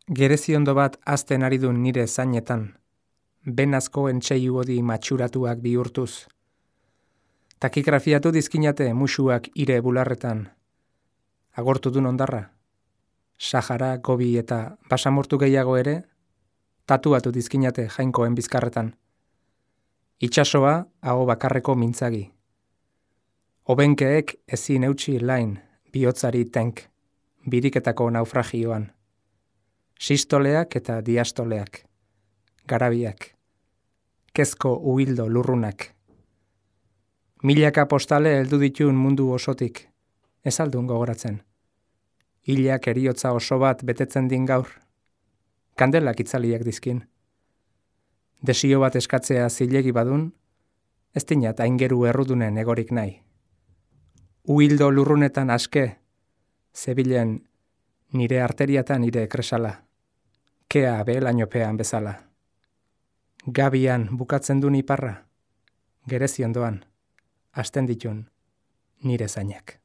Gereziondo bat azten ari dun nire zainetan, benazko entseiu odi matxuratuak bihurtuz. Takigrafiatu dizkinate musuak ire bularretan. Agortu dun ondarra. Sahara, Gobi eta basamortu gehiago ere, tatuatu dizkinate jainkoen bizkarretan. Itxasoa aho bakarreko mintzagi. Obenkeek ezin eutxi lain, bihotzari tenk, biriketako naufragioan. Sistoleak eta diastoleak, garabiak, kezko uhildo lurrunak. Milaka postale heldu ditun mundu osotik, ez aldun gogoratzen. Hilak eriotza oso bat betetzen din gaur, kandelak itzaliak dizkin. Desio bat eskatzea zilegi badun, ez dinat aingeru errudunen egorik nahi. Uhildo lurrunetan aske, zebilen nire arteriatan nire kresala, kea behelainopean bezala. Gabian bukatzen dun iparra, gereziondoan, hasten ditun nire zainak.